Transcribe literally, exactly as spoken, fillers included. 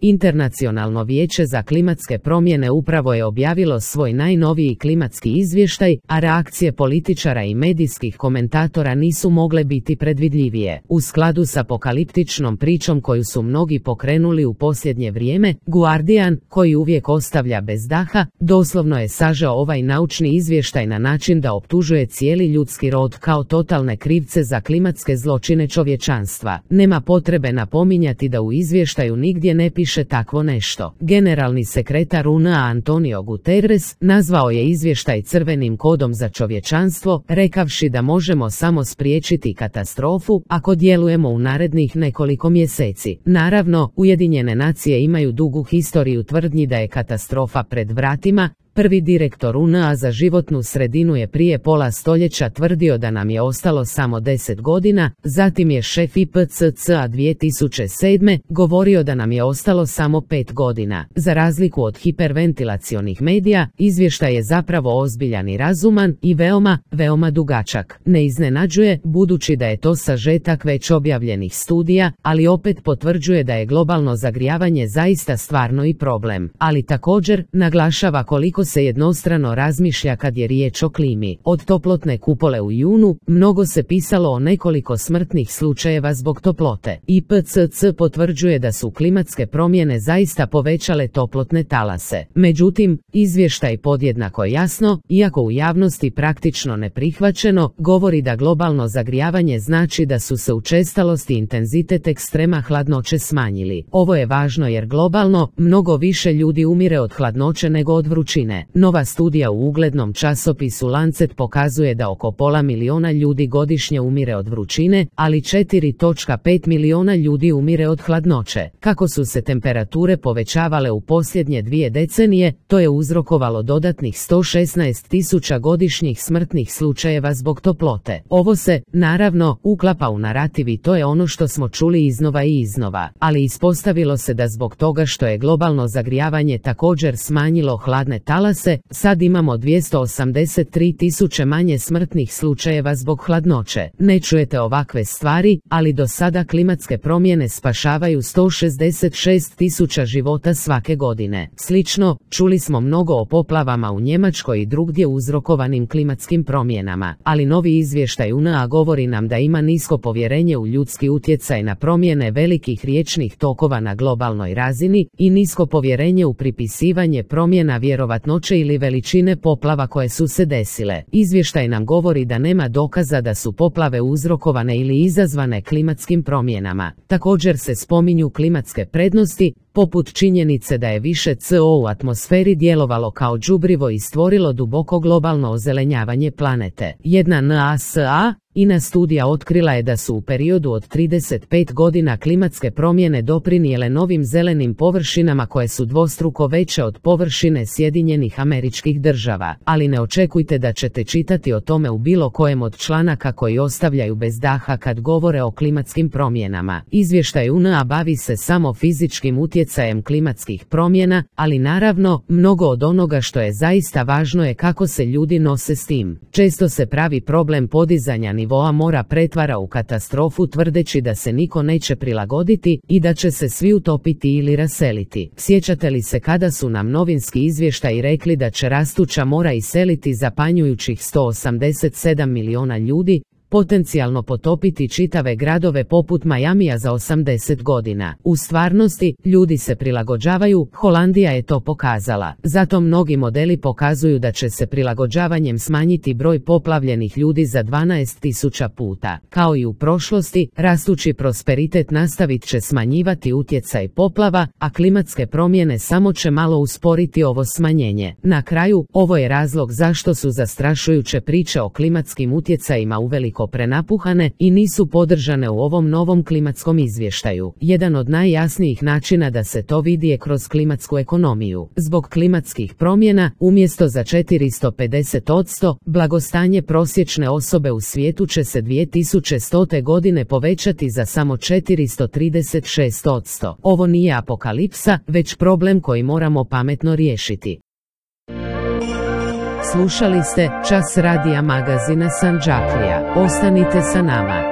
Internacionalno vijeće za klimatske promjene upravo je objavilo svoj najnoviji klimatski izvještaj, a reakcije političara i medijskih komentatora nisu mogle biti predvidljivije. U skladu s apokaliptičnom pričom koju su mnogi pokrenuli u posljednje vrijeme, Guardian, koji uvijek ostavlja bez daha, doslovno je sažeo ovaj naučni izvještaj na način da optužuje cijeli ljudski rod kao totalne krivce za klimatske zločine čovječanstva. Nema potrebe napominjati da u izvještaju nigdje ne piše takvo nešto. Generalni sekretar U N A Antonio Guterres nazvao je izvještaj crvenim kodom za čovječanstvo, rekavši da možemo samo spriječiti katastrofu ako djelujemo u narednih nekoliko mjeseci. Naravno, Ujedinjene nacije imaju dugu historiju tvrdnji da je katastrofa pred vratima. Prvi direktor U N A za životnu sredinu je prije pola stoljeća tvrdio da nam je ostalo samo deset godina, zatim je šef I P C C-a dvije tisuće sedme govorio da nam je ostalo samo pet godina. Za razliku od hiperventilacionih medija, izvještaj je zapravo ozbiljan i razuman i veoma, veoma dugačak. Ne iznenađuje, budući da je to sažetak već objavljenih studija, ali opet potvrđuje da je globalno zagrijavanje zaista stvarno i problem. Ali također, naglašava koliko se jednostrano razmišlja kad je riječ o klimi. Od toplotne kupole u junu, mnogo se pisalo o nekoliko smrtnih slučajeva zbog toplote. I P C C potvrđuje da su klimatske promjene zaista povećale toplotne talase. Međutim, izvještaj podjednako jasno, iako u javnosti praktično neprihvaćeno, govori da globalno zagrijavanje znači da su se učestalost i intenzitet ekstrema hladnoće smanjili. Ovo je važno jer globalno, mnogo više ljudi umire od hladnoće nego od vrućine. Nova studija u uglednom časopisu Lancet pokazuje da oko pola miliona ljudi godišnje umire od vrućine, ali četiri zarez pet miliona ljudi umire od hladnoće. Kako su se temperature povećavale u posljednje dvije decenije, to je uzrokovalo dodatnih sto šesnaest tisuća godišnjih smrtnih slučajeva zbog toplote. Ovo se, naravno, uklapa u narativ i to je ono što smo čuli iznova i iznova, ali ispostavilo se da zbog toga što je globalno zagrijavanje također smanjilo hladne talase, sad imamo dvjesto osamdeset tri tisuće manje smrtnih slučajeva zbog hladnoće. Ne čujete ovakve stvari, ali do sada klimatske promjene spašavaju sto šezdeset šest tisuća života svake godine. Slično, čuli smo mnogo o poplavama u Njemačkoj i drugdje uzrokovanim klimatskim promjenama, ali novi izvještaj U N A govori nam da ima nisko povjerenje u ljudski utjecaj na promjene velikih riječnih tokova na globalnoj razini i nisko povjerenje u pripisivanje promjena vjerovatnoće ili veličine poplava koje su se desile. Izvještaj nam govori da nema dokaza da su poplave uzrokovane ili izazvane klimatskim promjenama. Također se spominju klimatske prednosti, poput činjenice da je više C O u atmosferi djelovalo kao đubrivo i stvorilo duboko globalno ozelenjavanje planete. Jedna NASA I N A studija otkrila je da su u periodu od trideset pet godina klimatske promjene doprinijele novim zelenim površinama koje su dvostruko veće od površine Sjedinjenih Američkih Država, ali ne očekujte da ćete čitati o tome u bilo kojem od članaka koji ostavljaju bez daha kad govore o klimatskim promjenama. Izvještaj U N A bavi se samo fizičkim utjecajem klimatskih promjena, ali naravno, mnogo od onoga što je zaista važno je kako se ljudi nose s tim. Često se pravi problem podizanja nivoa mora pretvara u katastrofu tvrdeći da se niko neće prilagoditi i da će se svi utopiti ili raseliti. Sjećate li se kada su nam novinski izvještaji rekli da će rastuća mora iseliti zapanjujućih sto osamdeset sedam miliona ljudi, potencijalno potopiti čitave gradove poput Majamija za osamdeset godina. U stvarnosti, ljudi se prilagođavaju, Holandija je to pokazala. Zato mnogi modeli pokazuju da će se prilagođavanjem smanjiti broj poplavljenih ljudi za dvanaest tisuća puta. Kao i u prošlosti, rastući prosperitet nastavit će smanjivati utjecaj poplava, a klimatske promjene samo će malo usporiti ovo smanjenje. Na kraju, ovo je razlog zašto su zastrašujuće priče o klimatskim utjecajima uveliko prenapuhane i nisu podržane u ovom novom klimatskom izvještaju. Jedan od najjasnijih načina da se to vidi je kroz klimatsku ekonomiju. Zbog klimatskih promjena, umjesto za četiristo pedeset posto, blagostanje prosječne osobe u svijetu će se dvije tisuće stote godine povećati za samo četiristo trideset šest posto. Ovo nije apokalipsa, već problem koji moramo pametno riješiti. Slušali ste Čas radija magazina Sandžaklija. Ostanite sa nama.